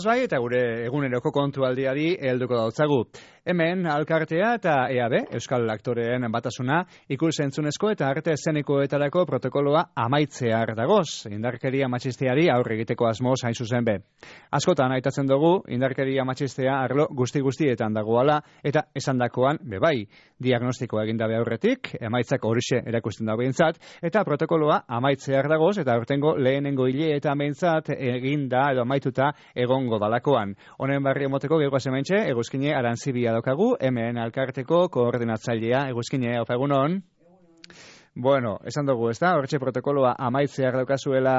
Bai, eta gure eguneroko kontualdiari helduko dautzagu. Hemen Alkartea eta EAB, Euskal Aktoreen Batasuna, ikus-entzunezko eta arte eszenikoetarako protokoloa amaitzear dagoz, indarkeria matxisteari aurre egiteko asmoz hain zuzen be. Askotan aitatzen dugu, indarkeria matxistea arlo guzti-guztietan dagoala, eta esandakoan bebai, diagnostikoa egindabe aurretik, emaitzak horixe erakusten dago behintzat, eta protokoloa amaitzear dagoz, eta aurtengo lehenengo hile eta behintzat eginda edo amaituta egongo dalakoan. Honen barri emoteko geroa zementxe, eguzkine Arantzibia daukagu, hemen Alkarteko koordinatzailea, eguzkine, opa egunon. Bueno, esan dugu, ez da, horretxe protokoloa amaitzeak daukazuela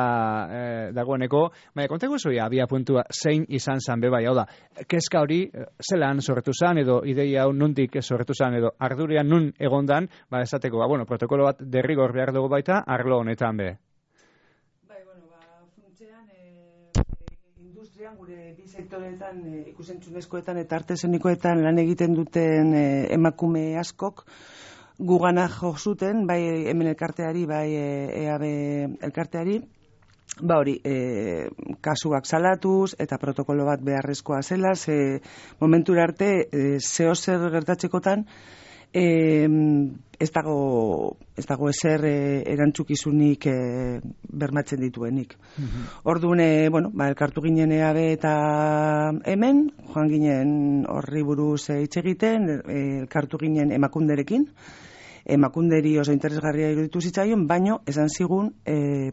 dagoeneko, baina kontegu zuia, abia puntua zein izan zan beba, hau da, kezka hori zelan sortu zan, edo ideia hau nundik sortu zan, edo ardurian nun egondan, ba esateko, bueno, protokolo bat derrigor behar dugu baita, arlo honetan be. Gure bi sektoreetan, ikusentzunezkoetan eta arte eszenikoetan lan egiten duten emakume askok gugana jo zuten, bai hemen elkarteari, bai EAB elkarteari, ba hori, kasuak salatuz eta protokolo bat beharrezkoa zela, ze momentura arte zeo zer gertatzekotan ez dago ezer erantzukizunik bermatzen dituenik. Orduan, bueno, elkartu ginen EAB eta hemen, joan ginen horri buruz hitz egiten, elkartu ginen emakunderekin, emakunderi oso interesgarria iruditu zitzaion, baino esan zigun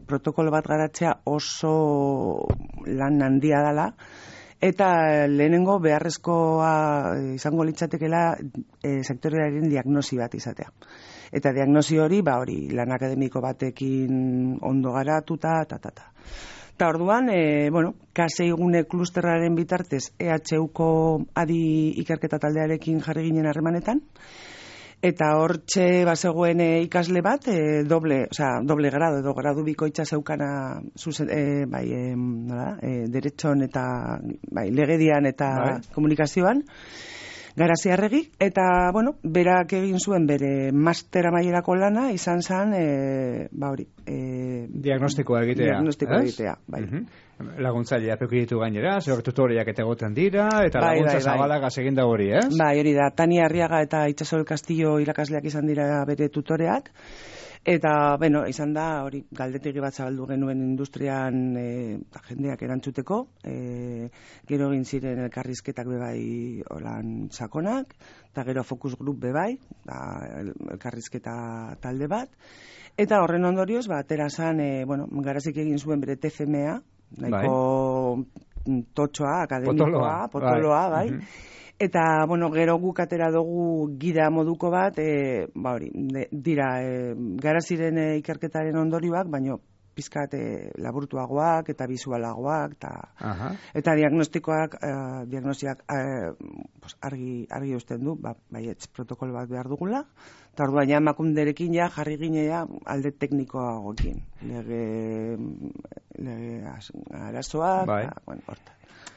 protokolo bat garatzea oso lan handia dela, eta lehenengo beharrezkoa izango litzatekela sektorearen diagnosi bat izatea. Eta diagnosi hori, hori lan akademiko batekin ondo garatuta, Eta orduan, K6 klusterraren bitartez EHUko adi ikerketa taldearekin jarri ginen harremanetan, eta hortxe bazegoen ikasle bat, doble grado, edo gradu bikoitza zeukana deretxon eta legedian eta komunikazioan, Garaziarregi, eta, berak egin zuen bere master amaierako lana, izan zen, diagnostikoa egitea. Bai. Laguntzailea pekiditu gainera, zer tutoriak eta egoten dira, eta laguntza zabalagaz egin da hori, ez? Bai, hori da, Tania Arriaga eta Itxaso del Castillo irakasleak izan dira bere tutoreak, eta, izan da, hori, galdetegi bat zabaldu genuen industrian jendeak erantzuteko, gero egin ziren elkarrizketak bebai olan sakonak, eta gero focus group bebai, elkarrizketa talde bat, eta horren ondorioz, atera zan, Garazik egin zuen bere TFMA, nahiko totxoa, akademikoa, potoloa, bai. Eta, gero guk atera dugu gida moduko bat, dira, Garaziren ikerketaren ondorioak, baino pizkat laburtuagoak eta bisualagoak, eta diagnosiak argi usten du, baietz protokolo bat behar dugula, eta orduan emakunderekin jarri ginea alde teknikoagoekin, lege arazoak, horta.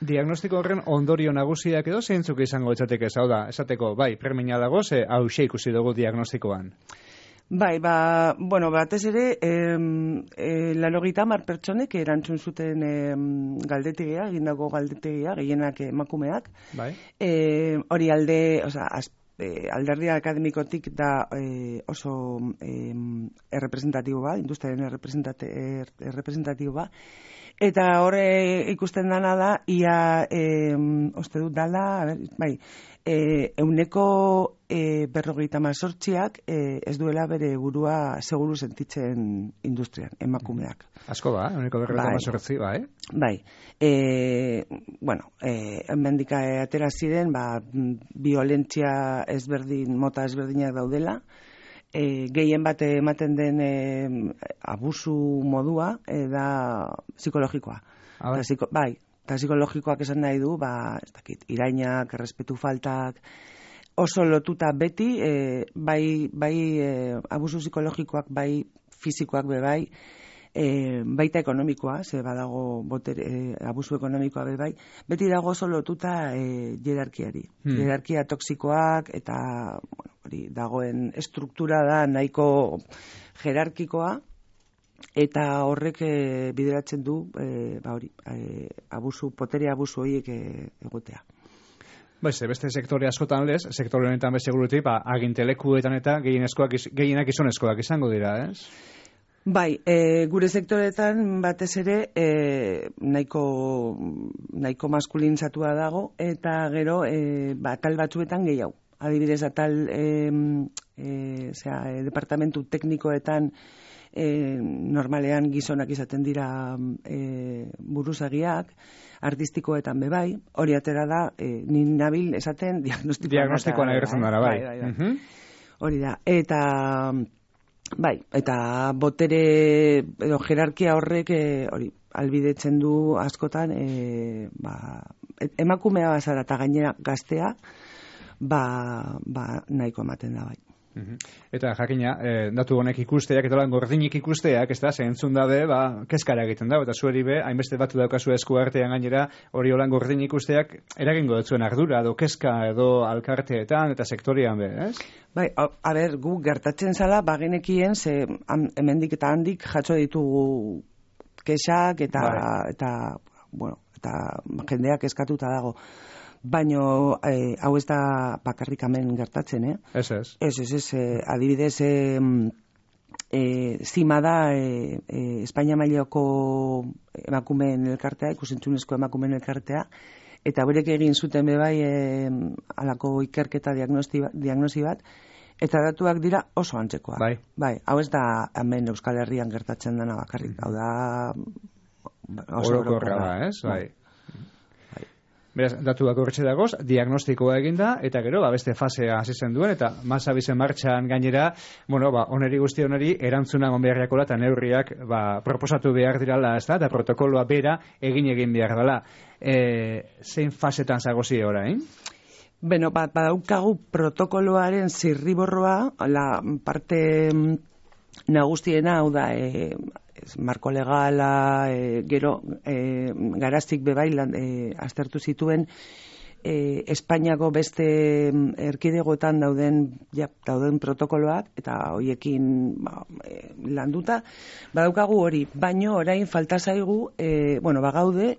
Diagnostiko horren ondorio nagusiak edo zeintzuk izango etzateke, hau da, esateko, premia dago, hauxe ikusi dugu diagnostikoan. Bai, batez ere, 90 pertsonek erantzun zuten galdetegia, egindako galdetegia, gehienak emakumeak. Hori alderdi akademikotik da oso errepresentatibo ba, industriaren errepresentatibo ba. Eta horre ikusten dana da, ia, uste dut dala, euneko 58ak ez duela bere burua seguru sentitzen industrian, emakumeak. Asko ba, euneko 58, bai? Bai. Hemendik atera ziren, violentzia mota ezberdinak daudela, gehien bat ematen den abusu modua da psikologikoa. Bai, Eta psikologikoak esan nahi du, ez dakit, irainak, errespetu faltak, oso lotuta beti, bai abusu psikologikoak, bai fisikoak bai, baita ekonomikoa, ze badago abusu ekonomikoa bai, beti dago oso lotuta jerarkiari. Jerarkia toksikoak eta hori dagoen estruktura da nahiko jerarkikoa, eta horrek bideratzen du potere abusu horiek egotea. Beste sektore askotan lez, sektore honetan bezeguruti, agintelekuetan eta gehienak gizonezkoak izango dira, ez? Bai, gure sektoretan batez ere nahiko maskulinzatua dago, eta gero atal batzuetan gehiago. Adibidez, atal departamentu teknikoetan normalean gizonak izaten dira buruzagiak, artistikoetan bebai, hori atera da, nin nabil esaten diagnostikoan agertzen dara, bai. Hori da, eta botere edo jerarkia horrek hori albidetzen du askotan emakumea bazara eta gainera gaztea nahiko ematen da bai. Eta jakina, datu honek ikusteak eta gordinik ikusteak, ez da, zentzun dabe, kezkara egiten da, eta zueri be, hainbeste batu daukazu esku artean gainera, hori holan gordinik ikusteak eragingo dutzuen ardura, edo kezka, edo alkarteetan, eta sektorian be, ez? Bai, gu gertatzen zala, bagenekien, ze hemendik eta handik jatso ditugu kexak, eta jendeak eskatuta dago. Baina hau ez da bakarrik hemen gertatzen, Ez. Adibidez, zima da Espainia mailako emakumeen elkartea, ikusentzunezko emakumeen elkartea, eta berek egin zuten bebai halako ikerketa diagnosi bat, eta datuak dira oso antzekoak. Bai, hau ez da hemen Euskal Herrian gertatzen dena bakarrik, hau da oso orokorra da, ez? Bai. Beraz, datuak horretxe dagoz, diagnostikoa eginda, eta gero, beste fasea hasi zen duen, eta masabizen martxan gainera, oneri guzti oneri, erantzuna onbeharriakola eta neurriak proposatu behar dirala, ez da, eta protokoloa bera egin behar dela. Zein fasetan zagozi orain? Beno, badaukagu protokoloaren zirriborroa, la parte nagustiena, hau da, marko legala, gero garaztik bebai aztertu zituen Espainiako beste erkidegoetan dauden protokoloak, eta hoiekin landuta, badaukagu hori, baino orain falta zaigu, bagaude,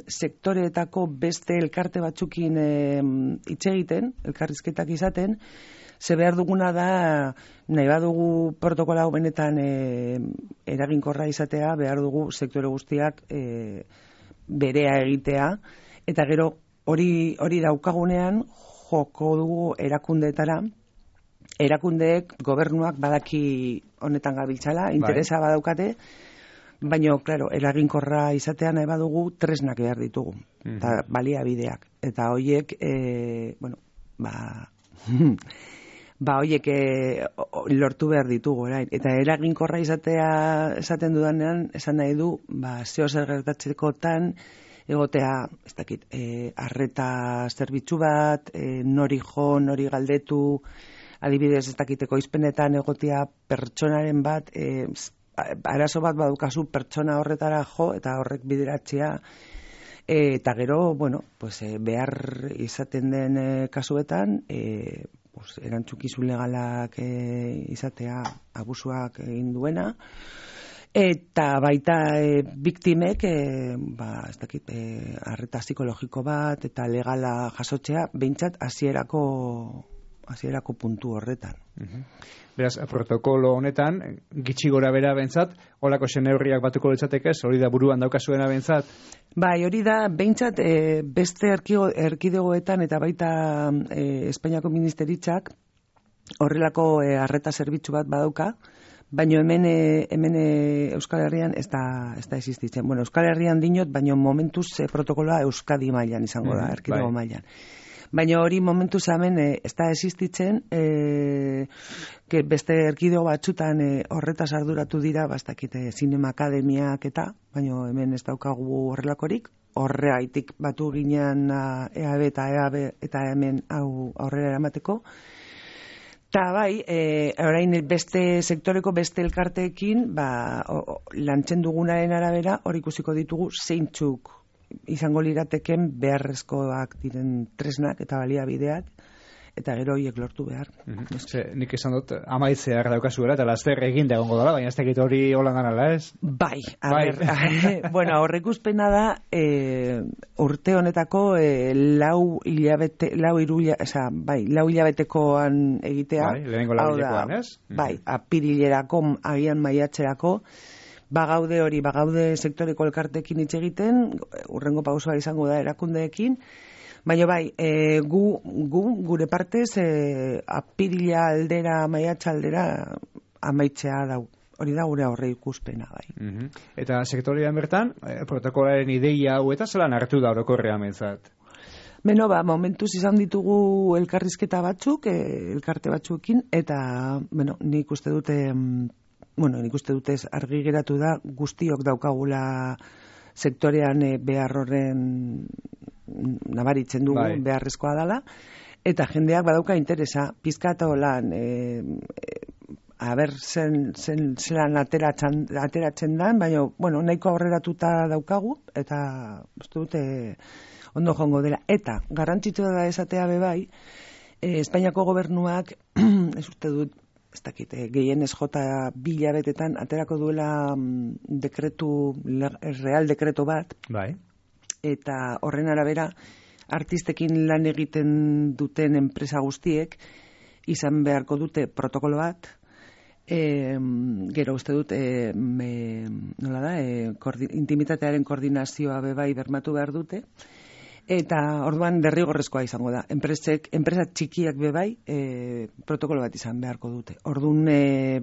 sektoreetako beste elkarte batzukin hitz egiten, elkarrizketak izaten, ze behar duguna da, nahi badugu protokola hau benetan eraginkorra izatea, behar dugu sektore guztiak berea egitea, eta gero hori daukagunean joko dugu erakundeetara, erakundeek gobernuak badaki honetan gabiltzala, interesa badaukate, baina, klaro, eraginkorra izatea nahi badugu tresnak behar ditugu, eta baliabideak, eta horiek, horiek lortu behar ditugu, eta eraginkorra esaten dudanean, esan nahi du, zeo zer gertatzekotan, egotea, ez dakit, arreta zerbitzu bat, nori jo, nori galdetu, adibidez, ez dakiteko izpenetan egotea pertsonaren bat, arazo bat badukazu pertsona horretara jo, eta horrek bideratzea, eta gero, behar izaten den kasuetan, erantzukizun legalak izatea abusuak egin duena, eta baita biktimek, ez dakit, arreta psikologiko bat, eta legala jasotzea, behintzat hasierako puntu horretan. Beraz, protokolo honetan, gitxi gora bera bentzat, holako neurriak batuko litzatekez, hori da buruan daukazuena bentzat? Bai, hori da, behintzat, beste erkidegoetan eta baita Espainiako ministeritzak horrelako arreta zerbitzu bat badauka, baina hemen Euskal Herrian ez da existitzen. Bueno, Euskal Herrian dinot, baina momentuz protokoloa Euskadi mailan izango da, erkidego mailan. Baina hori momentuz hemen ez da existitzen, beste erkidego batzutan horretaz arduratu dira, bastakite zinema akademiak eta, baina hemen ez daukagu horrelakorik, horregaitik batu ginean EAB eta hemen hau aurrera eramateko. Eta bai, orain beste sektoreko beste elkarteekin, lantzen dugunaren arabera, hor ikusiko ditugu zeintzuk izango lirateken beharrezkoak diren tresnak eta baliabideak, eta gero horiek lortu behar. Nik esan dut, amaitzeak daukazuela, eta laster egin da egongo dela, baina ez dakit hori holan ganala, ez? Bai, bueno, horrekuspena da, urte honetako lau hilabetekoan egitea. Bai, lehenengo lau hilabetekoan, ez? Bai, apirilerako, agian maiatzerako, bagaude sektoreko elkartekin hitz egiten, urrengo pausoa izango da erakundeekin, baina bai, gure partez, apirila aldera, maiatza aldera, amaitzea dau. Hori da gure aurre ikuspena, bai. Eta sektorean bertan, protokolaren ideia hau eta zelan hartu da orokorrean mentzat? Beno, momentuz izan ditugu elkarrizketa batzuk, elkarte batzuekin, eta, nik uste dute argi geratu da guztiok daukagula sektorean behar horren nabaritzen dugu, beharrezkoa dela, eta jendeak badauka interesa, pizkata lan, zelan ateratzen dan, baina, nahiko aurreratuta daukagu, eta uste dute ondo jongo dela. Eta, garrantzitsua da esatea bebai, Espainiako gobernuak, ez uste dut, ez dakit, gehienez jota 2 hilabetetan aterako duela real dekreto bat, eta horren arabera artistekin lan egiten duten enpresa guztiek izan beharko dute protokolo bat, gero uste dut intimitatearen koordinazioa bebai bermatu behar dute, eta orduan derrigorrezkoa izango da. Enpresa txikiak bebai protokolo bat izan beharko dute. Orduan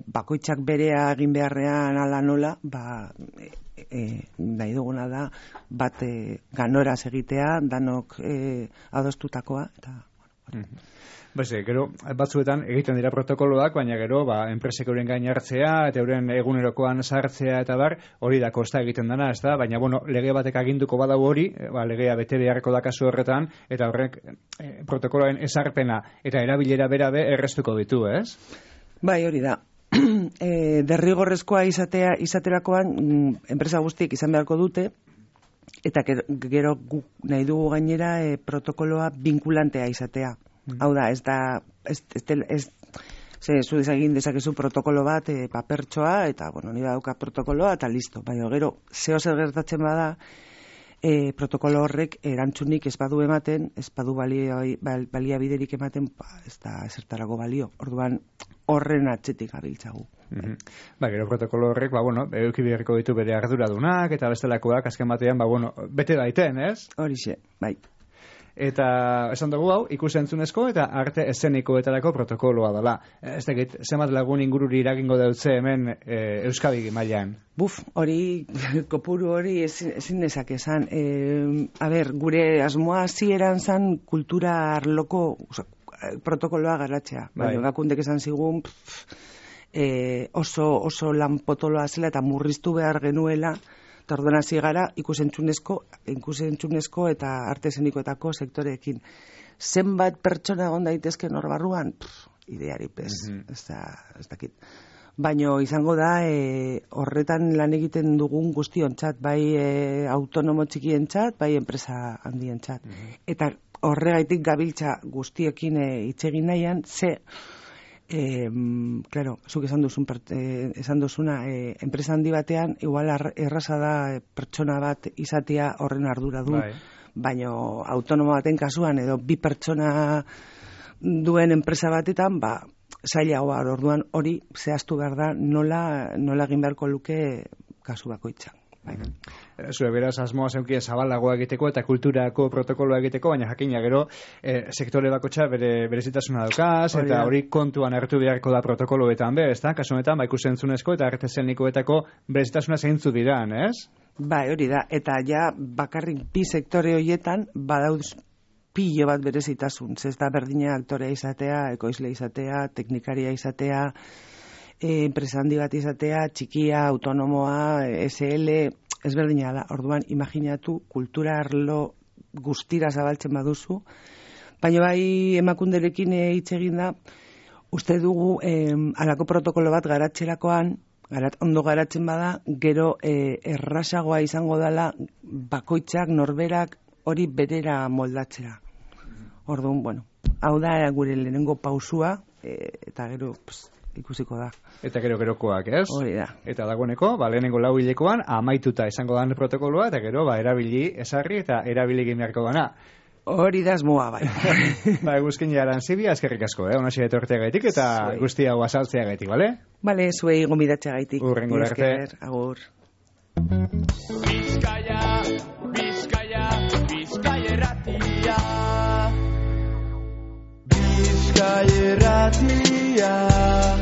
bakoitzak berea egin beharrean ala nola, nahi duguna da bat ganoraz egitea, danok adostutakoa, eta gero, batzuetan egiten dira protokoloak, baina gero, enpresek euren gain hartzea, eta euren egunerokoan sartzea, eta hori da kosta egiten dana, ez da? Baina, lege batek aginduko badau hori, legea bete beharko da kasu horretan, eta horrek protokoloen ezarpena eta erabilera berabe errestuko ditu, ez? Bai, hori da. Derrigorrezkoa izaterakoan enpresa guztiek izan beharko dute, eta gero nahi dugu gainera protokoloa vinkulantea izatea. Hau da, zu dezakezu protokolo bat papertxoa, eta, nire dauka protokoloa, eta listo. Baina gero, zer gertatzen bada, protokolo horrek erantzunik ez badu ematen, ez badu baliabiderik ematen, ez da ezertarako balio. Orduan, horren atzetik gabiltzagu. Gero protokolo horrek, eduki beharko ditu bere arduradunak, eta bestelakoak, azken batean, bete daiten, ez? Horixe, bai. Eta esan dugu hau, ikusentzunezko eta arte eszenikoetarako protokoloa dela. Ez dakit, zenbat lagun ingururi iragingo dautze hemen Euskadi mailan? Hori, kopuru hori ezin dezake esan. Gure asmoa hasieran zan kultura arloko protokoloa garatzea. Bakundek esan zigun oso lan potoloa zela eta murriztu behar genuela, eta orduan hasi gara ikusentzunezko eta artezenikoetako sektoreekin. Zenbat pertsona egon daitezken hor barruan? Ideari pez, ez dakit. Baina izango da horretan lan egiten dugun guztiontzat, bai autonomo txikientzat, bai enpresa handientzat. Eta horregaitik gabiltza guztiekin hitz egin nahian, zuk esan duzuna, enpresa handi batean, igual erraza da pertsona bat izatea horren arduradun, baina autonomo baten kasuan, edo 2 pertsona duen enpresa batetan, zailagoa, orduan hori zehaztu behar da nola egin beharko luke kasu bakoitzan. Zure beraz asmoa zeukie zabalagoa egiteko eta kulturako protokoloa egiteko, baina jakina gero sektore bakotxa berezitasuna daukaz, eta hori kontuan hartu beharko da protokoloetan ez da? Kasu honetan, ikusentzunezko eta artezenikoetako berezitasuna zeintzu diran, ez? Bai, hori da, eta ja bakarrik 2 sektore horietan badauz pilo bat berezitasun, ez da berdina aktorea izatea, ekoizle izatea, teknikaria izatea, enpresa handi bat izatea, txikia, autonomoa, SL, ezberdina da. Orduan, imaginatu, kultura arlo guztira zabaltzen baduzu, baina bai emakunderekin hitz egin da, uste dugu halako protokolo bat garatzerakoan, ondo garatzen bada, gero errazagoa izango dela bakoitzak, norberak, hori berera moldatzera. Orduan, bueno, hau da gure lehenengo pausua, eta gero ikusiko da. Eta gero-gerokoak, ez? Hori da. Eta dagoeneko, lehenengo 4 hilekoan, amaituta izango dan protokoloa, eta gero, erabili ezarri eta erabili ginearko dana. Hori da asmoa, bai. Eguzkin jaran zibia, eskerrik asko, onasi etorteagaitik eta guzti hau azaltzeagaitik, bale? Bale, zuei gomidatzeagaitik. Urrengo arte. Agur. Bizkaia erratia. Bizkaia erratia.